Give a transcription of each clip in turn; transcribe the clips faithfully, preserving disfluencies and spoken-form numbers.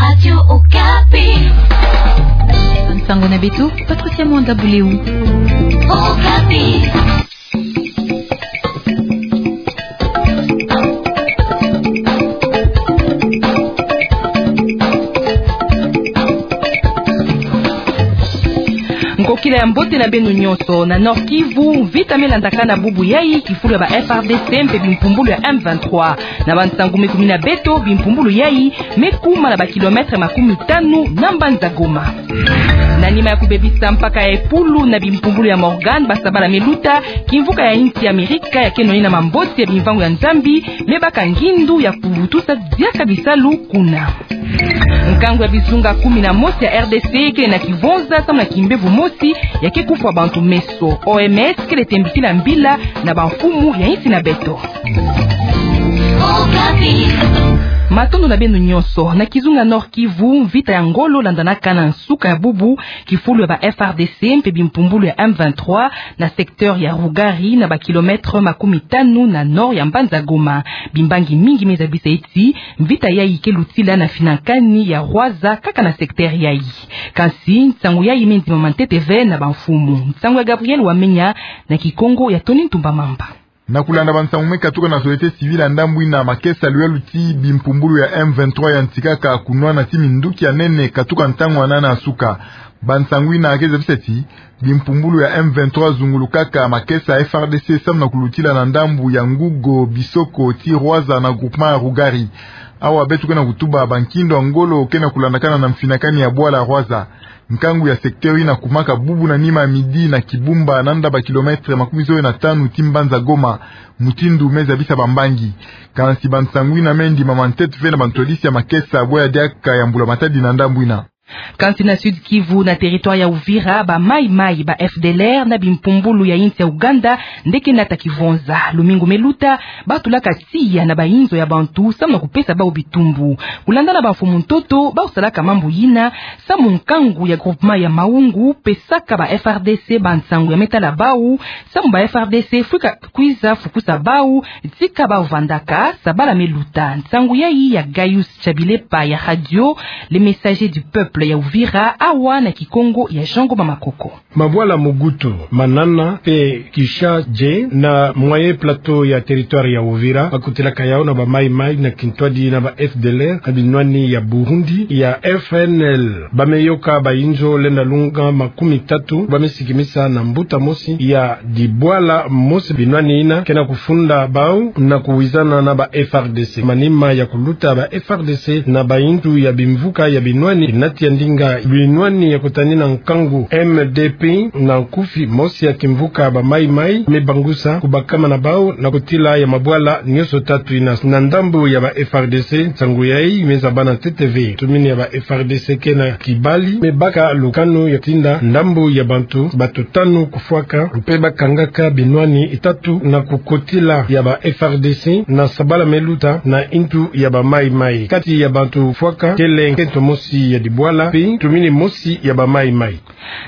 Radio Okapi. Nsangu na beto, Patricia Mwanda Buleu. Okapi. Nkokila ya mbote na beno nyonso. Na Nord-Kivu, mvita me landakana bubu yai, kifulu ya ba F R D C mpe bimpumbulu ya M vingt-trois. Na bansangu me kumina beto, bimpumbulu yai me kuma na ba kilomètre makumi tanu na mbanza Goma. Na nima ya kubebisa mpaka ya Epulu na bimpumbulu ya Morgan, ba sabala me luta, kimvuka ya insi ya Amerika ya keno nina mamboti ya bimvangu ya Nzambi, me baka ngindu ya kuvutusa diaka bisalu kuna. Nkangu ya bizunga kumi na mosi ya R D C kele na kivonza samu na kimbevo mosi ya ke kufwa bantu meso. O M S kele tembisila mbila na bamfumu ya insi na beto. Matondo na beno nyonso. Na kizunga Nord-Kivu, mvita ya ngolo landanaka na nsuka ya bubu, kifulu ya ba F R D C mpe bimpumbulu ya M vingt-trois na secteur ya Rugari, na ba kilomètre makumi tanu na nord ya mbanza Goma. Bimbangi mingi me zabisa ti mvita yai ke lutila na finankani ya Rwaza kaka na secteur yai. Kansi nsangu yai me ndimama ntete ve na bamfumu. Nsangu ya Gabriel Wamenya na Kikongo ya Tony Ntumba Mamba. Na kulanda bansangu me katuka na société civile ya ndambu ina, makesa luyalu ti bimpumbulu ya M vingt-trois ya ntikaka kunwana ti minduki ya nene katuka ntangu ya nana ya suka. Bansangu ina ke zabisa ti bimpumbulu ya M vingt-trois zungulukaka makesa ya F R D C samu na kulutila na ndambu ya Ngugo Bisoko ti Rwaza na groupement ya Rugari. Awa beto ke na kutuba, bankindu ya ngolo ke na kulandakana na mfinakani ya bwala Rwaza. Nkangu ya secteur ina kumaka bubu na nima ya midi na Kibumba, nanda ba kilomètre makumi zole na tanu ti mbanza Goma, mutindu me zabisa bambangi. Kansi bansangu ina me ndimama ntete ve na bantwadisi ya makesa bwe ya diaka ya mbula matadi na ndambu ina. Kansi na Sud-Kivu, na territoire ya Uvira, ba Mai Mai, ba F D L R na bimpumbulu ya insi ya Uganda nde ke nata kivonza. Lumingu me luta, ba tulaka tiya na bayinzo ya bantu samu na kupesa bau bitumbu. Kulanda na bamfumu ntoto, bau salaka mambu yina samu nkangu ya groupement ya Maungu pesaka ba F R D C bansangu ya me tala bau samu ba F R D C fwika kwiza fukusa bau tika bau vandaka. Sabala me luta. Nsangu yai ya Gaius Chabilepa ya Radio Le Messager du Peuple ya Uvira, awa na Kikongo ya Jean Ngoma Makoko. Mabwala Mugutu, Manana mpe Kishaje na Moyen Plateau ya territoire ya Uvira, ba kutilaka yau na ba Mai Mai na kintwadi na ba F D L R na binwani ya Burundi ya F N L. Ba me yoka bayinzo lenda lunga makumi tatu, ba me sikimisa na mbuta mosi ya dibwala mosi. Binwani ina ke na kufunda bau na kuwizana na ba F R D C. Manima ya kuluta ba F R D C na bayintu ya bimvuka ya binwani, nati ya ndinga binwani ya kutanina nkangu M D P na nkufi, mosi ya kimvuka ba Mai Mai me bangusa kubakama na bau na kotila ya mabwala nyonso tatu ina. Na ndambu ya ba F R D C, nsangu yai me zabana ntete ve. Tumini ya ba F R D C ke na kibali me baka lukanu ya tinda ndambu ya bantu, bantu tanu kufwaka mpe ba kangaka binwani itatu na kukotila ya ba F R D C na sabala me luta na intu ya ba Mai Mai. Kati ya bantu fwaka kele nkento mosi ya dibwala mpe tumini mosi ya ba Mai Mai.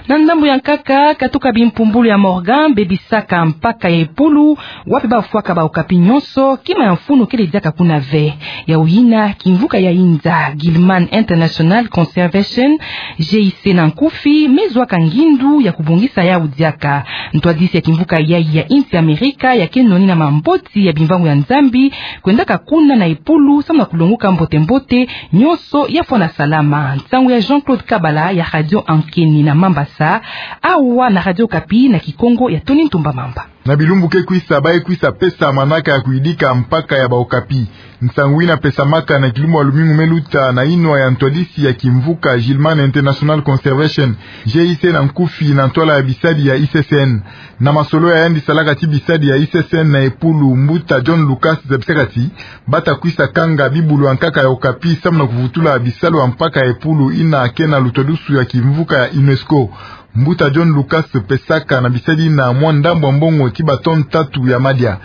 Na ndambu ya nkaka, katuka bimpumbulu ya Morgan bebisaka mpaka ya Epulu, wapi bau fwaka ba Okapi nyonso, kima ya mfunu kele diaka kuna ve. Yau yina, kimvuka ya inza, Gilman International Conservation, G I C na nkufi, me zwaka ngindu ya kubongisa yau diaka. Ntwadisi ya kimvuka yai ya insi Amerika ya keno nina mamboti ya bimvangu ya Nzambi kwendaka kuna na Epulu samu na kulonguka mbote-mbote nyonso ya fwana salama. Nsangu ya Jean-Claude Kabala ya Radio Ankeni na Mambasa, awa na Radio Okapi na Kikongo ya Tony Ntumba Mamba. Na bilumbu ke kwisa, ba ye kwisa pesa manaka ya kuyidika mpaka ya ba Okapi. Nsangu ina pesamaka na kilumbu ya lumingu me luta na inwa ya ntwadisi ya kimvuka Gilman International Conservation, G I C na nkufi, na ntwala ya bisadi ya I C C N. Na masolo ya yandi salaka ti bisadi ya I C C N na Epulu, mbuta John Lucas zabisaka ti ba ta kwisa kanga bibulu ya nkaka ya Okapi samu na kuvutula bisalu ya mpaka ya Epulu ina ke na lutwadusu ya kimvuka ya UNESCO. Mbuta John Lucas pesaka na bisadi ina mwa ndambu ya mbongo ti ba tonne tatu ya madia.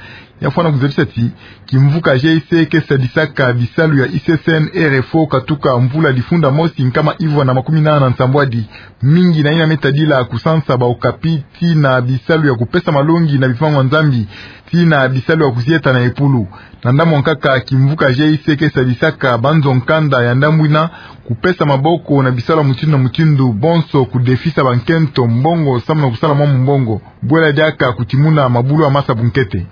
Ya fwana kuzabisa ti kimvuka G I C ke sadisaka bisalu ya I C C N R F O katuka mvula difunda mosi nkama ivwa na makumi nana na nsambwadi. Mingi na yina me tadila kusansa ba Okapi tii na bisalu ya kupesa malongi na bipangu ya Nzambi, tii na bisalu ya kuzieta na epulu. Na ndambu nkaka kimvuka G I C ke sadisaka banzo nkanda ya ndambu yina kupesa maboko na bisalu ya mutindu na mutindu, bonso kudefisa bankento mbongo samu na kusala mwa mumbongo. Bwela diaka kutimuna mabulu ya masa bunkete.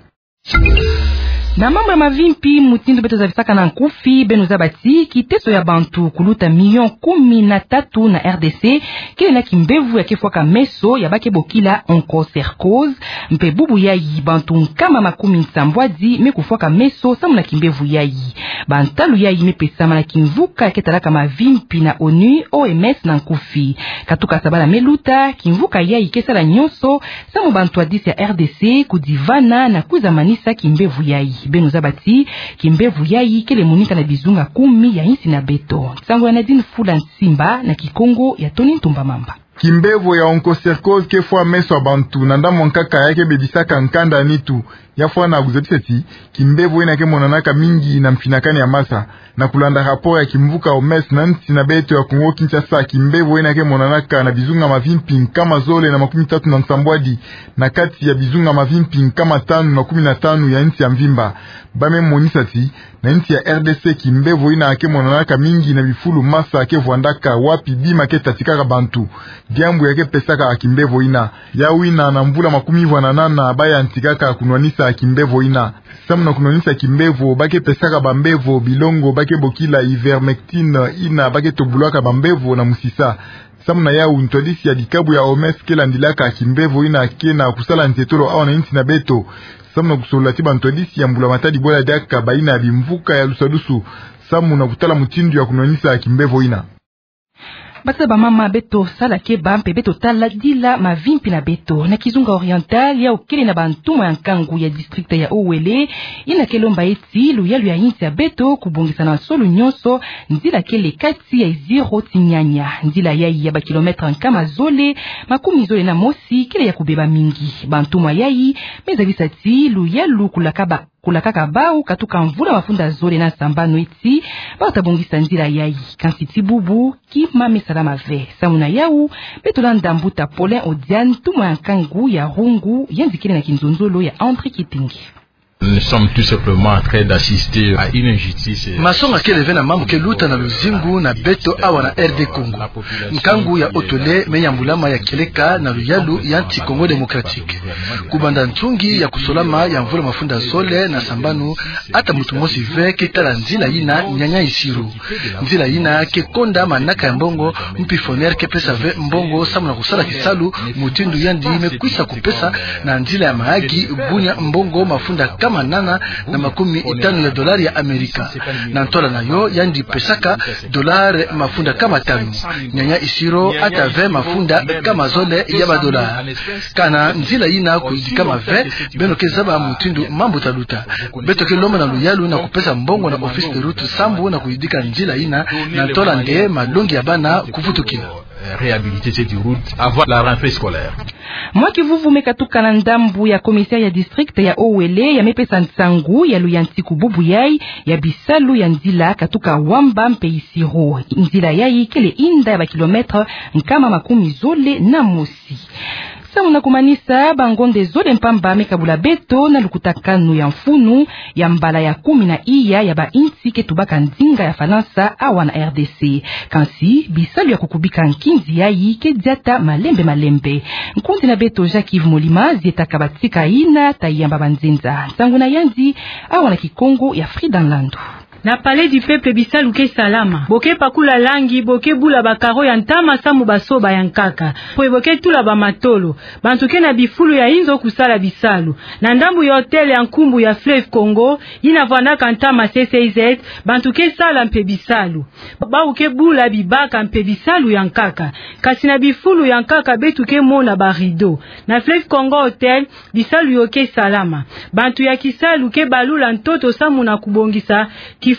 Na mambu ya mavimpi, mutindu beto zabisaka na nkufi, beno zaba ti kiteso ya bantu kuluta milioni kumi na tatu na R D C kele na kimbevo ya ke fwaka meso ya ba ke bokila onchocercose. Mpe bubu yayi bantu nkama makumi nsambwadi me kufwaka meso samu na kimbevo yayi. Bantalu yayi me pesama na kimvuka ya ke talaka mavimpi na ONU, O M S na nkufi. Katuka sabala me luta, kimvuka yayi ke sala nyonso samu bantu ya disi ya R D C kudivana na kwiza manisa kimbevo yayi. Beno zaba ti kimbevo yayi kele monika na bizunga kumi ya insi na beto. Nsangu ya Nadine Fula Nsimba, na Kikongo ya Tony Ntumba Mamba. Kimbevo ya onchocercose ke fwa meso ya bantu na ndambu nkaka ya ke bebisaka nkanda ya nitu. Ya fwana kuzabisa ti kimbevo yina ke monanaka mingi na mfinakani ya masa. Na kulanda rapport ya kimvuka O M S na nsi na beto ya Kongo Kinshasa, kimbevo yina ke monanaka na bizunga mavimpi nkama zole na makumi tatu na nsambwadi na kati ya bizunga mavimpi nkama tanu na kumi na tanu ya nsi ya mvimba. Ba me monisa ti na nsi ya R D C kimbevo yina ke monanaka mingi na bifulu masa ke vwandaka, wapi bima ke tatikaka bantu. Diambu ya ke pesaka kimbevo yina. Yawu yina na mvula makumi ivwa na nana ba yantikaka kunwanisa kimbevo yina. Samu na kunwanisa kimbevo, ba ke pesaka bambevo bilongo ba ke bokila ivermectine, yina ba ke tobulaka bambevo na musisa. Samu na yawu, ntwadisi ya dikabu ya O M S ke landilaka kimbevo yina ke na kusala nzietolo awa na nsi na beto samu na kusolola ti bantwadisi ya mbula matadi bwela diaka bayina ya bimvuka ya lusadusu samu na kutala mutindu ya kunwanisa kimbevo yina. Batata, bamama, beto sala keba mpe beto tala dila mavimpi na beto. Na Kizunga Oriental, yawu kele na bantumwa ya nkangu ya district ya Uele yina ke lomba ti luyalu ya insi ya beto kubongisa na nsolo nyonso nzila kele kati ya Iziro tii Nyanya. Nzila yayi ya ba kilomètre nkama zole makumi zole na mosi kele ya kubeba mingi. Bantumwa yayi me zabisa ti luyalu kulakaka, kulakaka bawu katuka mvula mafunda zole na sambanu ti bawu ta bongisa nzila yayi. Kansi tii bubu kima me salama ve. Samu na yawu, beto landa mbuta Paulin Odiane, ntumwa ya nkangu ya Rungu, yandi kele na kinzonzolo ya André Kitenge. Nous sommes tout simplement en train d'assister à une injustice. Masonga kele ve na mambu ke luta na luzingu na beto awa na R D Congo. Nkangu ya Otole me yambulama ya kieleka na luyalu ya nsi Congo Démocratique. Kubanda nsungi ya kusolama ya mvula mafunda zole na sambanu, ata muntu mosi ve ke tala nzila yina Nyanya Isiro. Nzila yina ke konda manaka ya mbongo, mpi Foner ke pesa ve mbongo samu na kusala kisalu mutindu yandi me kwisa kupesa na nzila ya Mahagi Bunia mbongo mafunda nkama nana na makumi tanu ya dolari ya Amerika. Na ntwala na yo, yandi pesaka dolari mafunda nkama tanu. Nyanya Isiro ata ve mafunda nkama zole ya badolari. Kana nzila yina kuyidikama ve, beno ke zaba mutindu mambu ta luta. Beto ke lomba na luyalu na kupesa mbongo na Office des Routes sambu na kuyidika nzila yina, na ntwala nde malongi ya bana kuvutukila. Réhabiliter cette route avant la rentrée scolaire. Mwa kivuvu me katuka na ndambu ya commissaire ya district ya Uele, ya me pesa nsangu ya luyantiku bubu yayi ya bisalu ya nzila katuka Wamba mpe Isiro. Nzila yayi kele inda ya ba kilomètre nkama makumi zole na mosi. Samu na kumanisa, bangonde zole mpamba me kabula beto na lukutakanu ya mfunu ya mbala ya kumi na iya ya bainsi ke tubaka ndinga ya Falansa awa na R D C. Kansi bisalu ya kukubika nkinzi yayi ke diata malembe malembe. Nkundi na beto Jacques-Yves Molima zietaka batika yina ta yamba banzenza. Nsangu na yandi awa na Kikongo ya Frida Nlandu. Na Palais du Peuple bisalu ke salama. Bo ke pakula langi, bo ke bula ba carreaux ya ntama samu basoba ya nkaka. Mpe bo ke tula bamatolo. Bantu ke na bifulu ya inzo kusala bisalu. Na ndambu ya hôtel ya nkumbu ya Fleuve Congo, yina vwandaka ntama C C Z, bantu ke sala mpe bisalu. Bawu ke bula bibaka mpe bisalu ya nkaka. Kasi na bifulu ya nkaka beto ke mona ba rideaux. Na Fleuve Congo Hôtel, bisalu yo ke salama. Bantu ya kisalu ke balula ntoto samu na kubongisa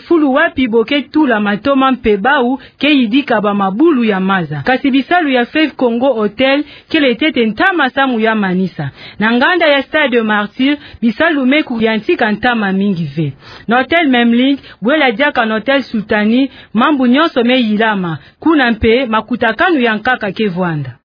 Fulu wapi bo ke tula matoma mpe bau ke yidika ba mabulu ya maza. Kasi bisalu ya Fleuve Congo Hotel kele ntete ntama samu ya manisa. Na nganda ya Stade des Martyrs, bisalu me kuyantika ntama mingi ve. Na Hotel Memling, bwela diaka na Hotel Sultanie, mambu nyonso me yilama. Kuna mpe makutakanu ya nkaka ke vwanda.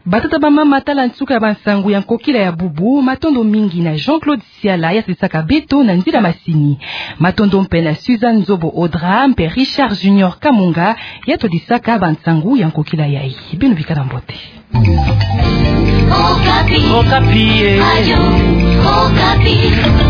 Batata, bamama, tala nsuka ya bansangu ya nkokila ya bubu. Matondo mingi na Jean-Claude Siala ya sadisaka beto na nzila masini. Matondo mpe na Suzanne Nzobo Audra mpe Richard Junior Kamunga ya twadisaka bansangu ya nkokila yayi. Beno bikala mbote. Okapi. Okapi, eh. Radio Okapi.